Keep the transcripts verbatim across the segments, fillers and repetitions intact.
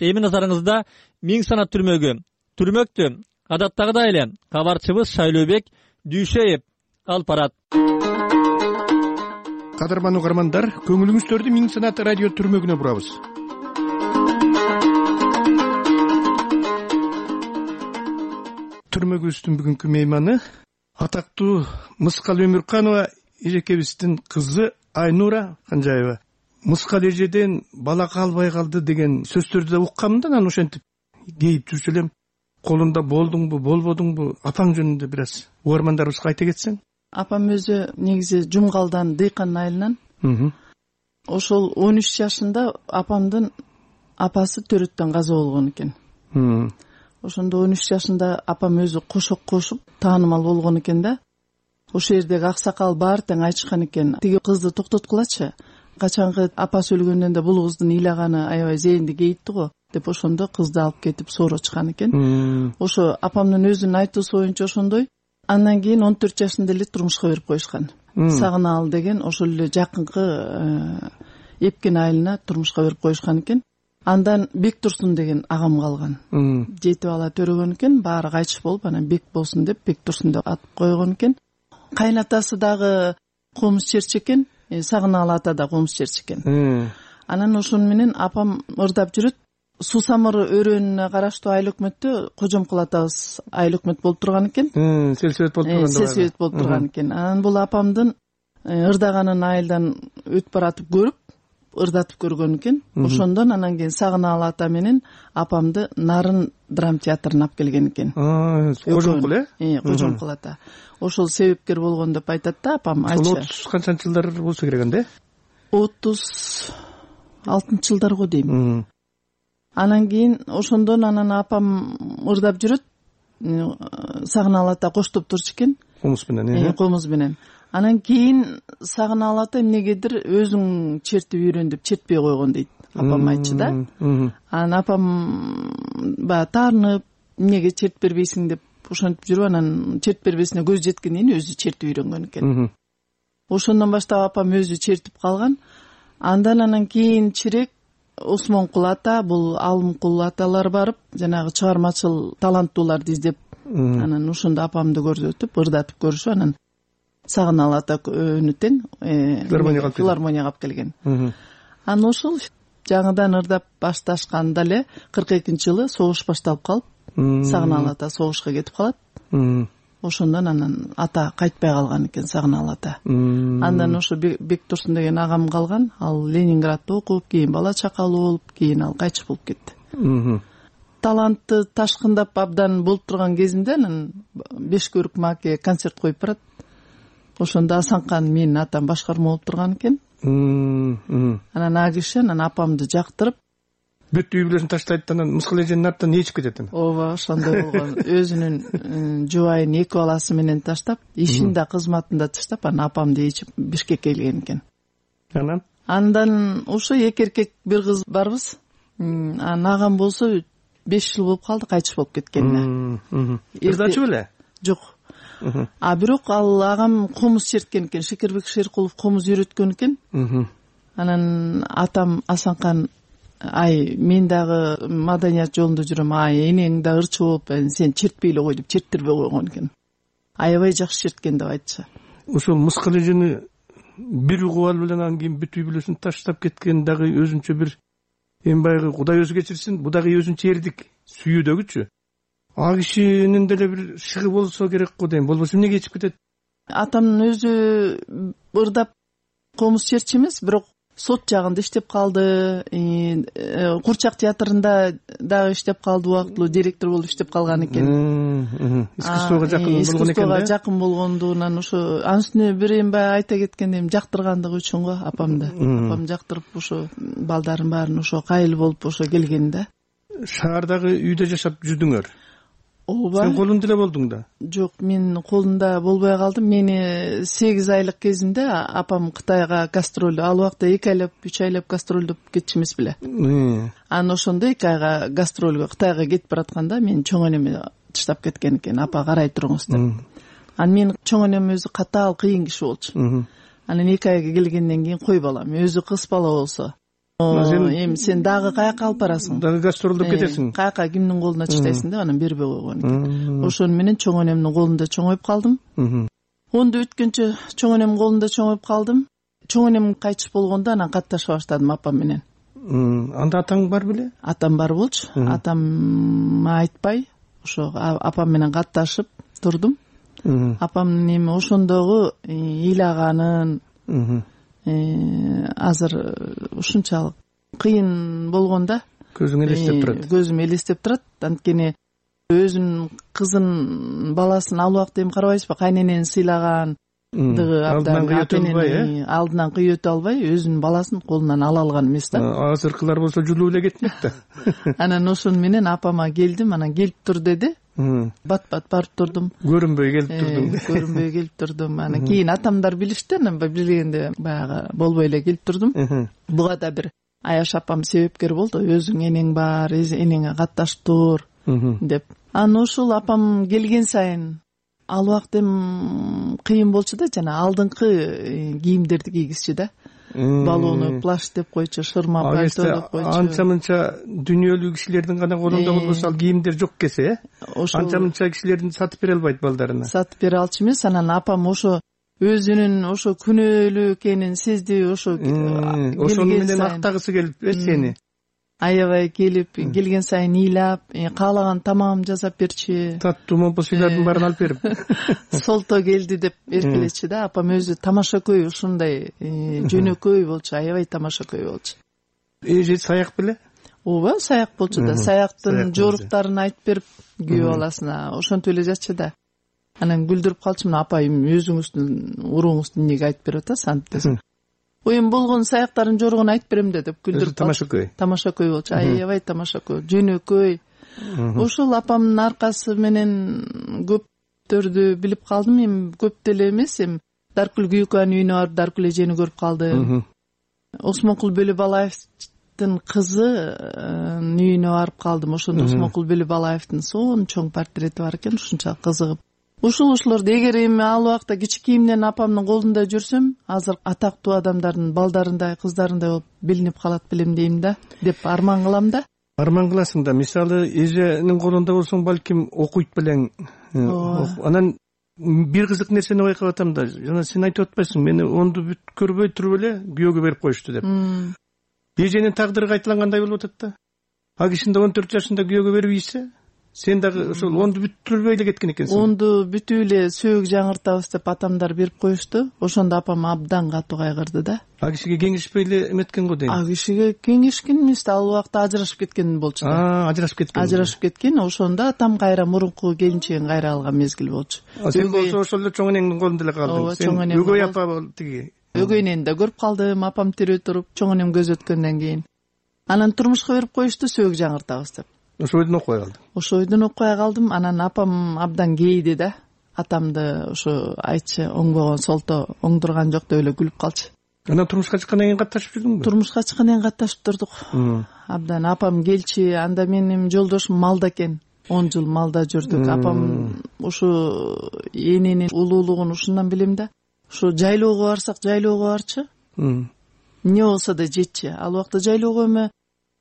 эми назарыңызда миң санат түрмөгү түрмөктү адаттагыдай эле кабарчыбыз Шайлообек Дүйшеев алып барат. Кадырман угармандар, көңүлүңүздөрдү миң санат радио түрмөгүнө бурабыз. Түрмөгүбүздүн бүгүнкү мейманы атактуу Мыскал Өмүрканова эжекебиздин кызы Айнура Канжаева. Мыскал эжеден бала калбай калды деген сөздөрдү да уккам да, анан ошентип кейип жүрчү элем. Колунда болдуңбу, болбодуңбу? Апаң жөнүндө бир аз угармандарыбызга айта кетсең. Апам өзү негизи Жумгалдан, Дыйкан айылынан. Ошол он үч жашында апамдын апасы төрөттөн каза болгон экен. Ошондо он үч жашында апам өзү кошок кошуп таанымал болгон экен да. Ошол жердеги аксакал баары тең айтышкан экен, тиги кызды токтоткулачы. Качангы апасы өлгөндөн да бул кыздын ыйлаганы аябай зээнди кейитти го деп, ошондо кызды алып кетип соорочкан экен. Ошо апамдын өзүнүн айтуусу боюнча ошондой. Андан кийин он төрт жашында эле турмушка берип коюшкан. Сагына ал деген ошол эле жакынкы Эпкен айылына турмушка берип коюшкан экен. Андан Бек Турсун деген агам калган. Жети бала төрөгөн экен, баары кайтыш болуп, анан Бек болсун деп Бек Турсун деп ат койгон экен. Кайнатасы дагы комуз черчи экен, Сагынаалы ата да комуз черчи экен. Анан ошону менен апам ырдап жүрөт. Суу самыр өрөөнүнө караштуу айыл өкмөттө Кожомкул атабыз айыл өкмөт болуп турган экен. Селсебет болуп турган. Селсебет болуп турган экен. Анан бул апамдын ырдаганын айылдан өтүп баратып көрүп, ырдатып көргөн экен. Ошондон анан кийин Сагынаалы ата менен апамды Нарын драм театрына алып келген экен. Кожомкул э? Э, Кожомкул ата. Ошол себепкер болгон деп айтат да апам. Ошол отуз канчанчы жылдар болсо керек да? отуз алтынчы жылдар го дейм. Анан кийин ошондон анан апам ырдап жүрөт. Сагынаалы ата коштоп турчу экен. Комуз менен, э? Комуз менен. Анан кийин Сагынаалы ата эмнегедир өзүң чертип үйрөн деп чертпей койгон дейт. Апам айтчу да. Анан апам баягы таарынып, эмнеге чертип бербейсиң деп ошентип жүрүп, анан чертип бербесине көз жеткенден кийин өзү чертип үйрөнгөн экен. Ошондон баштап апам өзү чертип калган. Андан анан кийинчерээк Осмонкул ата, бул Алымкул аталар барып, жанагы чыгармачыл таланттууларды издеп, анан ошондо апамды көрсөтүп, ырдатып көрүшүп, анан Сагынаалы ата өнү тең филармонияга алып келген. Анан ошол жаңыдан ырдап башташканда эле кырк экинчи жылы согуш башталып калып, Сагынаалы ата согушка кетип калат. Ошондон анан ата кайтпай калган экен, Сагынаалы ата. Андан ошо Бек Турсун деген агам калган. Ал Ленинградда окуп, кийин бала чакалуу болуп, кийин ал кайтыш болуп кетти. Талантты ташкындап абдан болуп турган кезинде анан Бешкөрүк мааке концерт коюп барат. Ошондо Асанкан менин атам башкарма болуп турган экен. Анан а киши анан апамды жактырып, бүт үй бүлөсүн таштайт, анан Мыскал эженин артынан ээрчип кетет. Ооба, ошондой болгон. Өзүнүн жубайын, эки баласы менен таштап, ишин да, кызматын да таштап, анан апамды ээрчип Бишкекке келген экен. Анан Андан ошо эки эркек бир кыз барбыз. Анан агам болсо беш жыл болуп калды, кайтыш болуп кеткенине. Ырдачу беле? Жок. А бирок ал агам комуз черткен экен, Шекербек Шеркулов комуз үйрөткөн экен. Анан атам Асанкан, ай, мен дагы маданият жолунда жүрөм, ай, энең да ырчы болуп, сен чертпей эле кой деп чертирбей койгон экен. Аябай жакшы черткен деп айтчу. Ошол Мыскал эжени бир угуп алып эле анан кийин бүт үй бүлөсүн таштап кеткен дагы өзүнчө бир эми баягы Кудай өзү кечирсин, бу дагы өзүнчө эрдик сүйүүдөгүчү. А кишинин деле бир шыгы болсо керек го дейм, болбосо эмнеге ичип кетет? Атамдын өзү ырдап комуз черчи эмес, бирок сот жагында иштеп калды, Курчак театрында дагы иштеп калды, убактылуу директор болуп иштеп калган экен. Искусствого жакын болгон экен. Искусствого жакын болгондугунан ошо анын үстүнө бир эми баягы айта кеткендем, жактыргандыгы үчүн го апамды. Апам жактырып ошо балдарын баарын ошо кайыл болуп ошо келген да. Шаардагы үйдө жашап жүрдүңөр? Ооба. Сен колунда эле болдуң да? Жок, мен колунда болбой калдым. Мени сегиз айлык кезимде апам Кытайга гастроль, ал убакта эки айлап, үч айлап гастролдоп кетчү эмес беле. Анан ошондо эки айга гастролго Кытайга кетип баратканда мен чоң энеме таштап кеткен экен, апа карай туруңуз деп. Анан мен чоң энем өзү катаал, кыйын киши болчу. Анан эки айга келгенден кийин кой балам, өзү кыз бала болсо эми сен дагы каяка алып барасың, дагы гастролдоп кетесиң, каяка кимдин колуна чыдайсың деп анан бербей койгон экен. Ошону менен чоң энемдин колунда чоңоюп калдым. онду бүткөнчө чоң энемдин колунда чоңоюп калдым. Чоң энем кайтыш болгондо анан катташа баштадым апам менен. Анда атаң бар беле? Атам бар болчу. Атам айтпай ошо апам менен катташып турдум. Апамдын эми ошондогу ыйлаганын, азыр ушунчалык кыйын болгондо көзүң элестеп турат. Көзүм элестеп турат. Анткени өзүнүн кызын, баласын ал убакта эми карабайсызбы, кайненени сыйлаган алдынан кыйып өтө албай өзүнүн баласын колунан ала алган эмес да. Азыркылар болсо жулуу эле кетмек да. Анан ошону менен апама келдим, анан келип тур деди. Бат бат барып турдум. Көрүнбөй келип турдум. Көрүнбөй келип турдум. Анан кийин атамдар билишти, анан билгенде баягы болбой эле келип турдум. Буга да бир Аяш апам себепкер болду. Өзүң энең бар, энеңе катташып тур деп. Анан ошол апам келген сайын ал убакта эми кыйын болчу да, жана алдыңкы кийимдерди кийгизчү да. Балону плащ деп койчу, шырма пальто деп койчу. Анча-мынча дүйнөлүү кишилердин гана колунда болбосо ал кийимдер жок кесе, анча-мынча кишилердин сатып бере албайт балдарына. Сатып бере алчу эмес. Анан апам ошо өзүнүн ошо күнөөлүү экенин сезди, ошо ошону менен актагысы келип сени. Аябай келип, келген сайын ыйлап, каалаган тамагым жасап берчи. Таттуу момпо сыйлардын баарын алып берип. Солто келди деп эркелечи да. Апам өзү тамашакөй, ушундай жөнөкөй болчу, аябай тамашакөй болчу. Эже саяк беле? Ооба, саяк болчу да. Саяктын жоруктарын айтып берип күйөө баласына ошентип эле жатчу да. Анан күлдүрүп калчумун, апайым өзүңүздүн урууңуздун эмнеге айтып берип атасыз антип десем. Оюм болгон саяктардын жоругун айтып берем да деп күлдүрүп тамашакөй. Тамашакөй болчу, аябай тамашакөй, жөнөкөй. Ошол апамдын аркасы менен көптөрдү билип калдым. Эми көп деле эмес, эми Даркүл Күйөкованын үйүнө барып Даркүл эжени көрүп калдым. Осмонкул Бөлөбалаевдин кызынын үйүнө барып калдым. Ошондо Осмонкул Бөлөбалаевдин сонун чоң портрети бар экен, ушунча кызыгып. Ушул ушулорду эгер эми ал убакта кичикейимден апамдын колунда жүрсөм, азыр атактуу адамдардын балдарындай, кыздарындай болуп билинип калат белем дейм да, деп арман кылам да. Арман кыласың да. Мисалы, эженин колунда болсоң, балким окуйт белең. Анан бир кызык нерсени байкап атам да. Жана сен айтып атпайсың, мени онду бүт көрбөй туруп эле күйөөгө берип коюшту деп. Эженин тагдыры кайталангандай болуп атат да. А кишинде он төрт жашында күйөөгө берип ийсе, сен дагы ошол онду бүттүрбөй эле кеткен экенсиң. Онду бүтүп эле сөөгү жаңыртабыз деп атамдар берип коюшту. Ошондо апам абдан катуу кайгырды да. А кишиге кеңешпей эле эметкен го дейм. А кишиге кеңешкен эмес да, ал убакта ажырашып кеткен болчу да. А, ажырашып кеткен. Ажырашып кеткен. Ошондо атам кайра мурунку келинчегин кайра алган мезгил болчу. Сен болсо ошол эле чоң энеңдин колунда эле калдың. Сен өгөй апа тиги. Өгөй энени да көрүп калдым, апам тирүү туруп, чоң энем көз өткөндөн кийин. Анан турмушка берип коюшту, сөөгү жаңыртабыз деп. Ошо ойдон окуй калдым. Ошо ойдон окуй калдым. Анан апам абдан кейди да. Атамды ошо айтчы, оңбогон солто оңдурган жок деп эле күлүп калчу. Анан турмушка чыккандан кийин катташып жүрдүңбү? Турмушка чыккандан кийин катташып турдук. Абдан апам келчи, анда менин жолдошум малда экен. он жыл малда жүрдүк. Апам ушу эненин улуулугун ушундан билем да. Ушу жайлоого барсак, жайлоого барчы. Эмне болсо да жетчи. Ал убакта жайлоого эми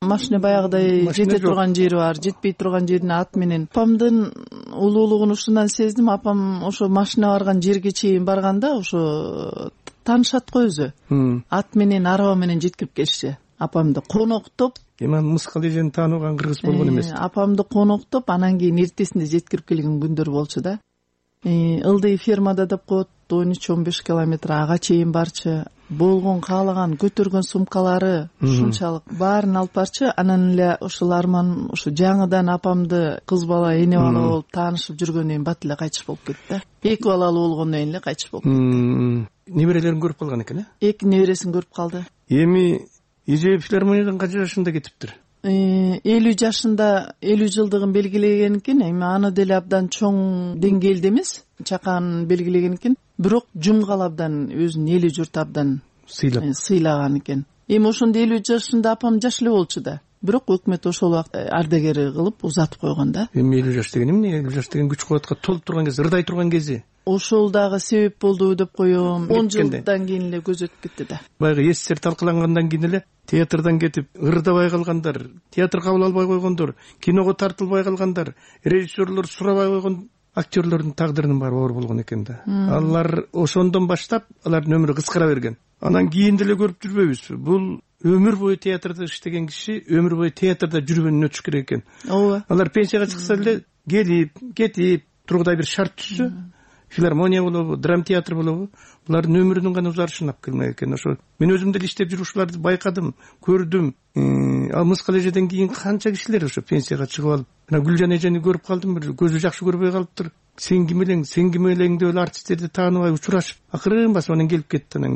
машина баягыдай жете турган жери бар, жетпей турган жерине ат менен. Апамдын улуулугун ушундан сездим. Апам ошо машина барган жерге чейин барганда ошо таанышат го өзү. Ат менен, араба менен жеткирип келишчи. Апамды коноктоп, эми Мыскал эжени таанууган кыргыз болгон эмес. Апамды коноктоп, анан кийин эртесинде жеткирип келген күндөр болчу да. Ылдый фермада деп коет, он үч он беш километр ага чейин барчы. Болгон каалаган көтөргөн сумкалары ушунчалык баарын алып барчы. Анан эле ушул арман ушу жаңыдан апамды кыз бала, эне бала болуп таанышып жүргөндөн кийин бат эле кайтыш болуп кетти да. Эки балалуу болгондон кийин эле кайтыш болуп кетти. Неберелерин көрүп калган экен, э? Эки небересин көрүп калды. Эми эже филармониядан канча жашында кетиптир? элүү жашында элүү жылдыгын белгилеген экен. Эми аны деле абдан чоң деңгээлде эмес, чакан белгилеген экен. Бирок жумгал абдан өзүнүн эли журт абдан сыйлап сыйлаган экен. Эми ошондо элүү жашында апам жаш эле болчу да. Бирок өкмөт ошол убакта ардагери кылып узатып койгон да. Эми элүү жаш деген эмне? элүү жаш деген күч кубатка толуп турган кез, ырдай турган кези. ошол дагы себеп болду деп коем. он жылдан кийин эле көз өтүп кетти да. Баягы эсер талкалангандан кийин эле театрдан кетип ырдабай калгандар, театр кабыл албай койгондор, киного тартылбай калгандар, режиссерлор сурабай койгон актерлордун тагдырынын баары оор болгон экен да. Алар ошондон баштап алардын өмүрү кыскара берген. Анан кийин деле көрүп жүрбөйбүзбү? Бул өмүр бою театрда иштеген киши өмүр бою театрда жүргөнүн өтүш керек экен. Ооба. Алар пенсияга чыкса эле келип, кетип, тургудай бир шарт түзсө, филармония болобу, драм театр болобу, булардын өмүрүнүн гана узарышын алып келмек экен. Ошо мен өзүм деле иштеп жүрүп ушуларды байкадым, көрдүм. Ал Мыскал эжеден кийин канча кишилер ошо пенсияга чыгып алып, мына Гүлжан эжени көрүп калдым, бир көзү жакшы көрбөй калыптыр. Сен ким элең, сен ким элең деп эле артисттерди тааныбай учурашып, акырын басып анан келип кетти, анан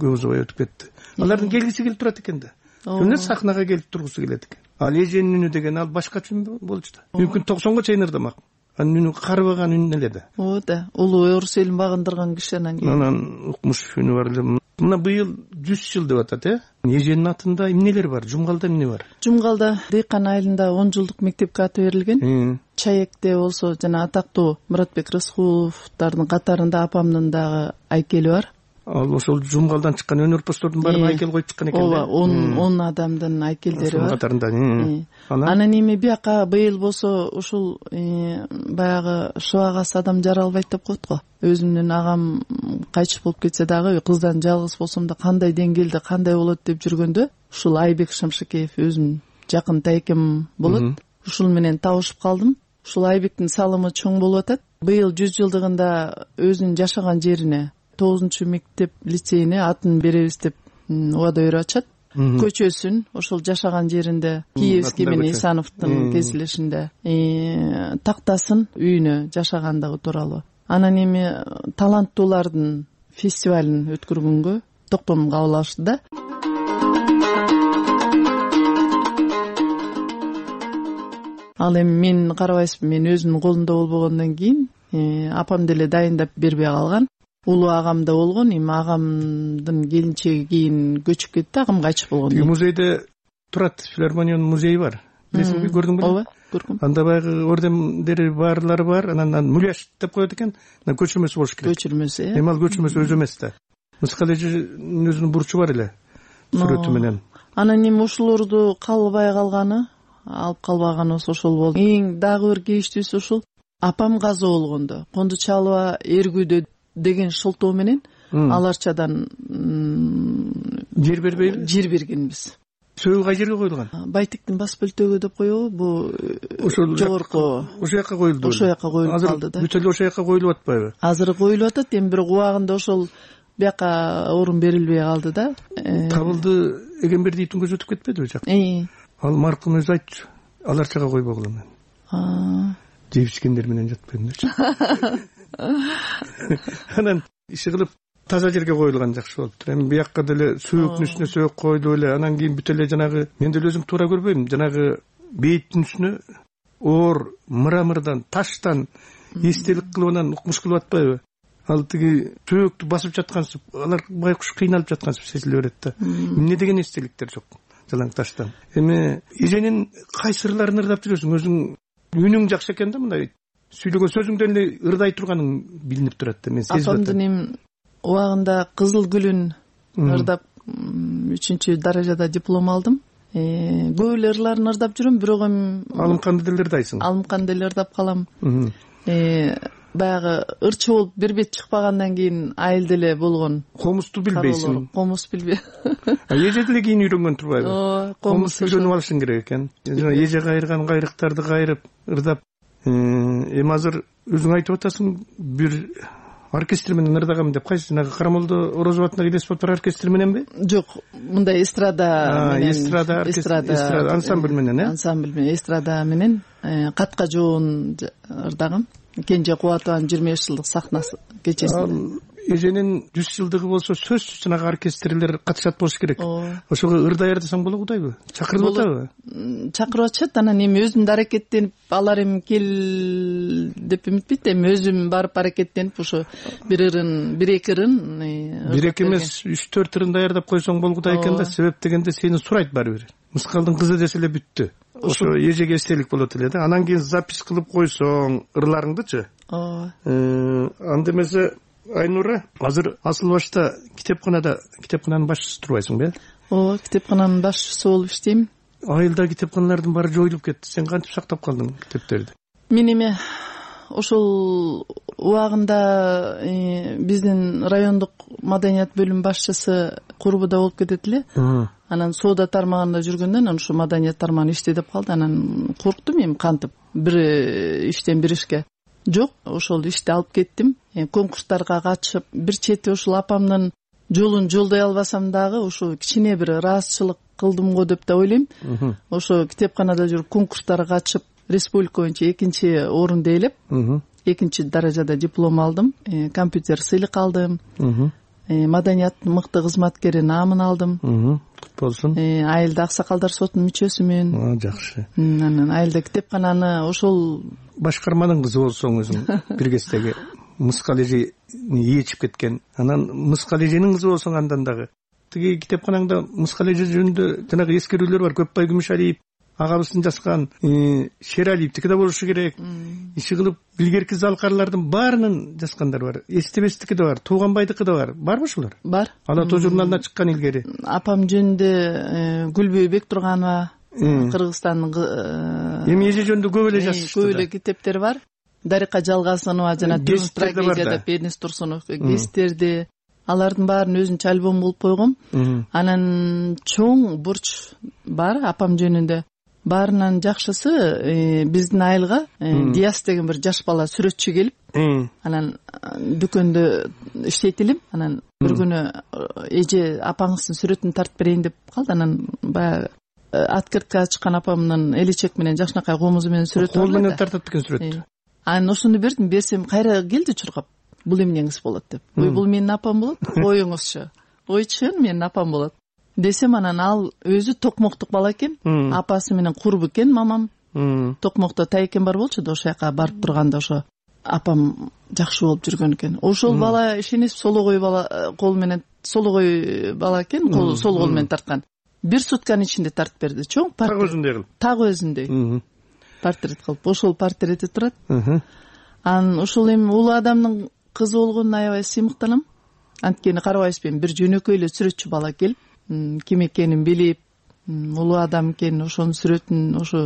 көп узабай өтүп кетти. Алардын келгиси келип турат экен да. Күнү сахнага келип тургусу келет экен. Ал эженин үнү деген ал башкача үн болчу да. Мүмкүн токсонго чейин ырдамак. Анын үнү карыбаган үн эле да. Ооба да. Улуу орус элин багындырган киши анан кийин. Анан укмуш үнү бар эле. Мына быйыл жүз жыл деп атат, э? Эженин атында эмнелер бар? Жумгалда эмне бар? Жумгалда Дыйкан айылында он жылдык мектепке аты берилген. Чаекте болсо жана атактуу Муратбек Рыскуловдардын катарында апамдын дагы айкели бар. Ал ошол Жумгалдан чыккан өнөрпоздордун баарын айкел коюп чыккан экен. Ооба, он он адамдын айкелдери бар. Катарында. Анан эми бияка быйыл болсо ушул баягы шыбагасы адам жаралбайт деп коет го. Өзүмдүн агам кайтыш болуп кетсе дагы кыздан жалгыз болсом да кандай деңгээлде кандай болот деп жүргөндө ушул Айбек Шамшыкеев өзүм жакын тайкем болот. Ушул менен табышып калдым. Ушул Айбектин салымы чоң болуп атат. Быйыл жүз жылдыгында өзүнүн жашаган жерине тогузунчу мектеп лицейине атын беребиз деп убада берип атышат. Көчөсүн ошол жашаган жеринде Киевский менен Исановдун кезилешинде тактасын үйүнө жашагандыгы тууралуу. Анан эми таланттуулардын фестивалын өткөргөнгө токтом кабыл алышты да. Ал эми мен карабайсызбы, мен өзүмдүн колумда болбогондон кийин апам деле дайындап бербей калган. Улуу агам да болгон, эми агамдын келинчеги кийин көчүп кетти, агам кайтыш болгон. Музейде турат, филармониянын музейи бар. Билесиңби, көрдүңбү? Ооба, көрдүм. Анда баягы ордендери баарлары бар, анан муляж деп коет экен, анан көчүрмөсү болуш керек. Көчүрмөсү, э. Эми ал көчүрмөсү өзү эмес да. Мыскал эженин өзүнүн бурчу бар эле, сүрөтү менен. Анан эми ушулорду калбай калганы, алып калбаганыбыз ошол болду. Эң дагы бир кейиштүүсү ушул апам каза болгондо, Кондучалова эргүүдө деген шылтоо менен аларчадан жер бербейби? Жер бергенбиз. Сөөгү кай жерге коюлган? Байтиктин бас бөлтөгү деп коебу, бу ошол жогорку. Ошол жака коюлду. Ошол жака коюлуп калды да. Бүт эле ошол жака коюлуп атпайбы? Азыр коюлуп атат, эми бирок убагында ошол бияка орун берилбей калды да. Табылды Эгембердиевдин көзү өтүп кетпедиби жакта? Ал маркум өзү айтчу. Аларчага койбогула мен. Жеп ичкендер менен жатпайм дечи. Анан иши кылып таза жерге коюлган жакшы болуптур. Эми биякка деле сөөктүн үстүнө сөөк койду эле, анан кийин бүт эле жанагы мен деле өзүм туура көрбөйм, жанагы бейиттин үстүнө оор мрамордон, таштан эстелик кылып анан укмуш кылып атпайбы? Ал тиги сөөктү басып жаткансып, алар байкуш кыйналып жаткансып сезиле берет да. Эмне деген эстеликтер жок жалаң таштан. Эми эженин кай сырларын ырдап жүрөсүң? Өзүң үнүң жакшы экен да, мындай сүйлөгөн сөзүңдөн эле ырдай турганың билинип турат да, мен сезип атам. Апамдын эми убагында Кызыл гүлүн ырдап үчүнчү даражада диплом алдым. Көп эле ырларын ырдап жүрөм, бирок эми Алымканды деле ырдайсың. Алымканды деле ырдап калам. Баягы ырчы болуп бир бет чыкпагандан кийин айыл деле болгон. Комусту билбейсиң. Комус билбей. Эже деле кийин үйрөнгөн турбайбы? Комус үйрөнүп алышың керек экен. Жана эже кайырган кайрыктарды кайрып ырдап. Эми азыр өзүң айтып атасың, бир оркестр менен ырдагам деп, кайсы жанагы Карамолдо Орозов атындагы элес болуп турган оркестр мененби? Жок, мындай эстрада менен. Эстрада, эстрада ансамбль менен, э? Ансамбль менен, эстрада менен катка жоон ырдагам. Кенже Кубатованын жыйырма беш жылдык сахнасы кечесинде. Эженин жүз жылдыгы болсо сөзсүз жанагы оркестрлер катышат болуш керек. Ошого ырдай ырдасаң боло кудайбы? Чакырып атабы? Чакырып атышат, анан эми өзүм да аракеттенип, алар эми кел деп үмүтпейт, эми өзүм барып аракеттенип ошо бир ырын, бир эки ырын, бир эки эмес үч төрт ырын даярдап койсоң болгудай экен да, себеп дегенде сени сурайт баары бир. Мыскалдын кызы десе эле бүттү. Ошо эжеге эстелик болот эле да. Анан кийин запись кылып койсоң ырларыңдычы, ооба. Анда эмесе Айнура, азыр Асыл башта китепканада китепкананын башчысы турбайсыңбы? Ооба, китепкананын башчысы болуп иштейм. Айылда китепканалардын баары жоюлуп кетти. Сен кантип сактап калдың китептерди? Мен эме ошол убагында биздин райондук маданият бөлүм башчысы курбуда болуп кетет эле. Анан соода тармагында жүргөндөн анан ушу маданият тармагын иште деп калды. Анан корктум эми кантип бир иштен бир ишке. Жок, ошол ишти алып кеттим. Конкурстарга катышып, бир чети ушул апамдын жолун жолдой албасам дагы ушу кичине бир ыраазычылык кылдым го деп да ойлойм. Ошо китепканада жүрүп конкурстарга катышып, республика боюнча экинчи орунду ээлеп, экинчи даражада диплом алдым, компьютер сыйлык алдым, маданияттын мыкты кызматкери наамын алдым. Кут болсун. Айылда аксакалдар сотунун мүчөсүмүн. Жакшы. Анан айылда китепкананы ошол башкарманын кызы болсоң өзүң бир кездеги Мыскал эжени ээчип кеткен. Анан Мыскал эженин кызы болсоң андан дагы. Тиги китепканаңда Мыскал эже жөнүндө жанагы эскерүүлөр бар. Көпбай Күмүшалиев агабыздын жазган, Шералиевдики да болушу керек. Иши кылып илгерки залкарлардын баарынын жазгандары бар. Эстебестики да бар, Тууганбайдыкы да бар. Барбы ушулар? Бар. Ала тоо журналына чыккан илгери. Апам жөнүндө Гүлбөй Бектурганова, Кыргызстандын эми эже жөнүндө көп эле жазышты. Көп эле китептер бар. Дарика Жалгасынова жана Түз трагедияда Пернис Турсунов гестерди, алардын баарын өзүнчө альбом кылып койгом. Анан чоң бурч бар апам жөнүндө. Баарынан жакшысы биздин айылга Диас деген бир жаш бала сүрөтчү келип, анан дүкөндө иштейт элем. Анан бир күнү эже апаңыздын сүрөтүн тартып берейин деп калды. Анан баягы открыткага чыккан апамдын элечек менен жакшынакай комузу менен сүрөтү бар. Кол менен тартат экен сүрөттү. Анан ошону бердим, берсем кайра келди чуркап. Бул эмнеңиз болот деп. Ой, бул менин апам болот. Коюңузчу. Ой, чын менин апам болот. Десем, анан ал өзү токмоктук бала экен. Апасы менен курбу экен мамам. Токмокто Тайкен бар болчу да, ошол жака барып турганда ошо апам жакшы болуп жүргөн экен. Ошол бала ишенесиз, сологой бала, кол менен сологой бала экен, кол сол кол менен тарткан. Бир сутканын ичинде тартып берди. Чоң портрет. Так өзүндөй кылып. Так өзүндөй. Портрет кылып. Ошол портрети турат. Анан ушул эми улуу адамдын кызы болгонуна аябай сыймыктанам. Анткени карабайсызбы, бир жөнөкөй эле сүрөтчү бала келип, ким экенин билип, улуу адам экенин, ошонун сүрөтүн ошо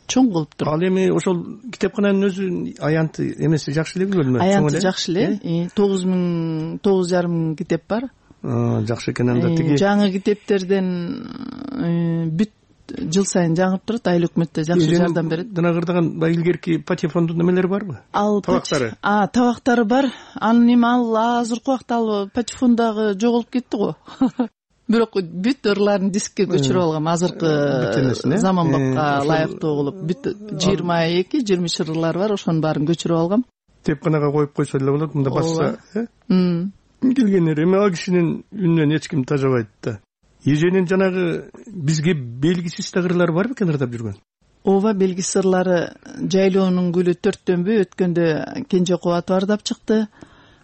чоң кылып туруп. Ал эми ошол китепкананын өзү аянты эмеси жакшы эле бөлмө. Аянты жакшы эле. тогуз миң, тогуз жарым миң китеп бар. Жакшы экен анда. Тиги жаңы китептерден бүт жыл сайын жаңырып турат. Айыл өкмөттө жакшы жардам берет. Жана кырдаган баягы илгерки патефондун немелери барбы? Ал табактары. А, табактары бар. Анын эми ал азыркы убакта ал патефондагы жоголуп кетти го. Бирок бүт ырларын дискке көчүрүп алгам. Азыркы заманбапка ылайыктуу кылып бүт жыйырма эки жыйырма үч ырлар бар, ошонун баарын көчүрүп алгам. Китепканага коюп койсо эле болот, мында басса, э? Келгендер эми ал кишинин үнүнөн эч ким тажабайт да. Эженин жанагы бизге белгисиз тагырлары бар бекен ырдап жүргөн? Ооба, белгисиз ырлары Жайлоонун гүлү төрттөнбү өткөндө Кенже Кубатов ырдап чыкты.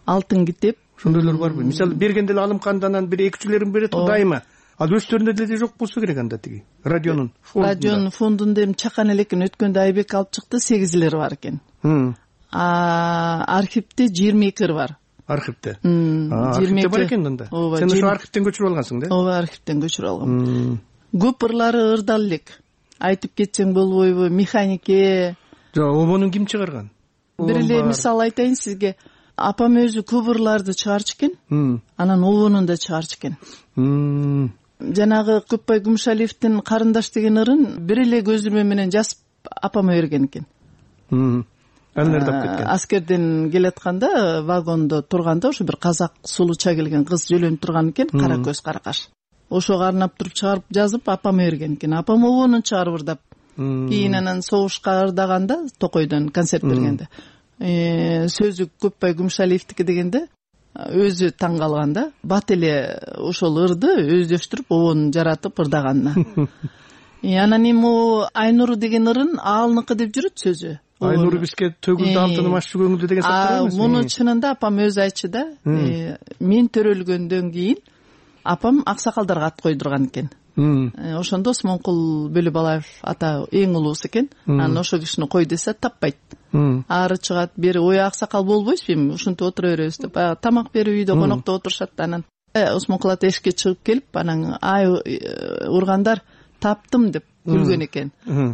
Алтын китеп. Ошондойлор барбы? Мисалы бергенде эле Алымкандан бир экичилерин берет го дайыма. Ал өздөрүндө деле жок болсо керек анда тиги. Радионун фондунда. Радионун фондунда эми чакан эле экен, өткөндө Айбек алып чыкты, сегизилери бар экен. А архивде жыйырма эки ыр бар. Архивде. Архивде бар экен анда. Сен ошо архивден көчүрүп алгансың да? Ооба, архивден көчүрүп алгам. Көп ырлары ырдал элек. Айтып кетсең болбойбу, механике. Жок, обонун ким чыгарган? Бир эле мисал айтайын сизге. Апам өзү көп ырларды чыгарчу экен. Анан обонун да чыгарчу экен. Жанагы Көпбай Күмүшалиевдин Карындаш деген ырын бир эле көзүрмө менен жазып апама берген экен. Аскерден келатканда вагондо турганда ошо бир казак сулуча келген кыз жөлөнүп турган экен, кара көз, кара каш. Ошого арнап туруп чыгарып жазып апама берген экен. Апам обонун чыгарып ырдап. Кийин анан согушка ырдаганда Токойдон концерт бергенде сөзү Көпбай Күмүшалиевдики дегенде өзү таң калган да. Бат эле ошол ырды өздөштүрүп обонун жаратып ырдаганына. Анан эми Айнуру деген ырын алныкы деп жүрөт сөзү. Айнуру бизге төгүлдү алтыным аччы көңүлдү деген сактар эмес. Муну чынында апам өзү айтчу да. Мен төрөлгөндөн кийин апам аксакалдарга ат койдурган экен. Ошондо Осмонкул Бөлөбалаев ата эң улуусу экен. Анан ошол кишини кой десе таппайт. Ары чыгат, бери ой аксакал болбойсузбу эми ушинтип отура беребиз деп. Баягы тамак берип үйдө конокто отурушат. Анан Осмонкул ата эшикке чыгып келип, анан ай ургандар таптым деп күлгөн экен.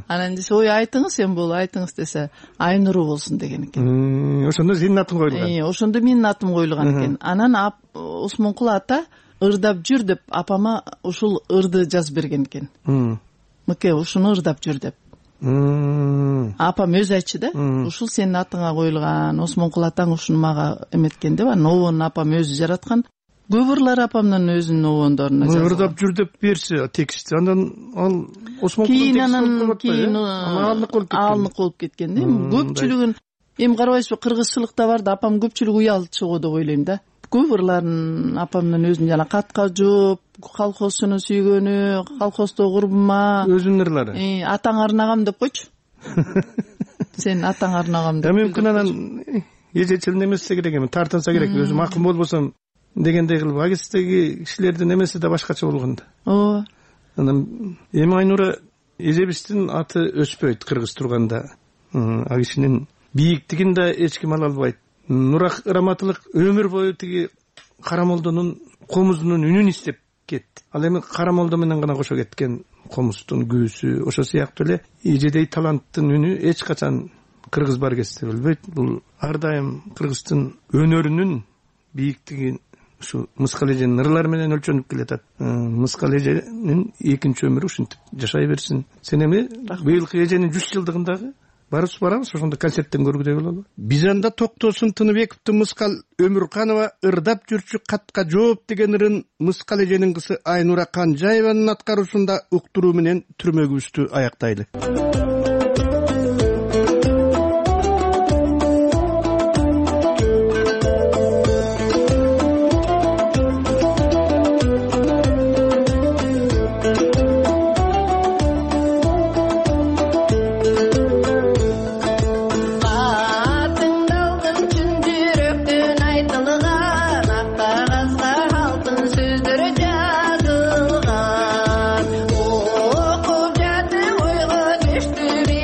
Анан десе, ой айтыңыз эми бул, айтыңыз десе, Айнуру болсун деген экен. Ошондо сенин атың коюлган. Ошондо менин атым коюлган экен. Анан Осмонкул ата ырдап жүр деп апама ушул ырды жазып берген экен. Мыке ушуну ырдап жүр деп. Апам өзү айтчу да, ушул сенин атыңа коюлган, Осмонкул атаң ушуну мага эметкен деп. Анан обону апам өзү жараткан. Көп ырлар апамдын өзүнүн обондоруна жазылган. Ырдап жүр деп берсе текстти, андан ал Осмонкулдун тексти анан кийин алынык болуп кеткен да. Көпчүлүгүн эми карабайсызбы, кыргызчылыкта бар да, апам көпчүлүгү уялчу го деп ойлойм да. Көп ырларын апамдын өзүнүн жана катка жооп, колхозчуну сүйгөнү, колхоздо курбума, өзүнүн ырлары. Атаң арнагам деп койчу. Сен атаң арнагам деп. Мүмкүн анан эжечил немесе керек эми, тартынса керек, өзү макул болбосом дегендей кылып, агистеги кишилердин эмеси да башкача болгон да. Ооба. Анан эми Айнура эжебиздин аты өспөйт кыргыз турганда. А кишинин бийиктигин да эч ким ала албайт. Нура Ыраматылык өмүр бою тиги Карамолдонун комузунун үнүн издеп кетти. Ал эми Карамолдо менен гана кошо кеткен комуздун күүсү, ошо сыяктуу эле эжедей таланттын үнү эч качан кыргыз баргесте билбейт. Бул ар дайым кыргыздын өнөрүнүн бийиктиги ушу Мыскал эженин ырлары менен өлчөнүп келатат. Мыскал эженин экинчи өмүрү ушинтип жашай берсин. Сен эми быйылкы эженин жүз жылдыгындагы барыбыз барабыз, ошондо концерттен көргүдөй бололу. Биз анда Токтосун Тыныбековдун Мыскал Өмүрканова ырдап жүрчү катка жооп деген ырын Мыскал эженин кызы Айнура Канжаеванын аткаруусунда уктуруу менен түрмөгүбүздү аяктайлы. Düştü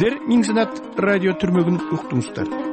сиздер Миң Санат радио түрмөгүн уктуңуздар.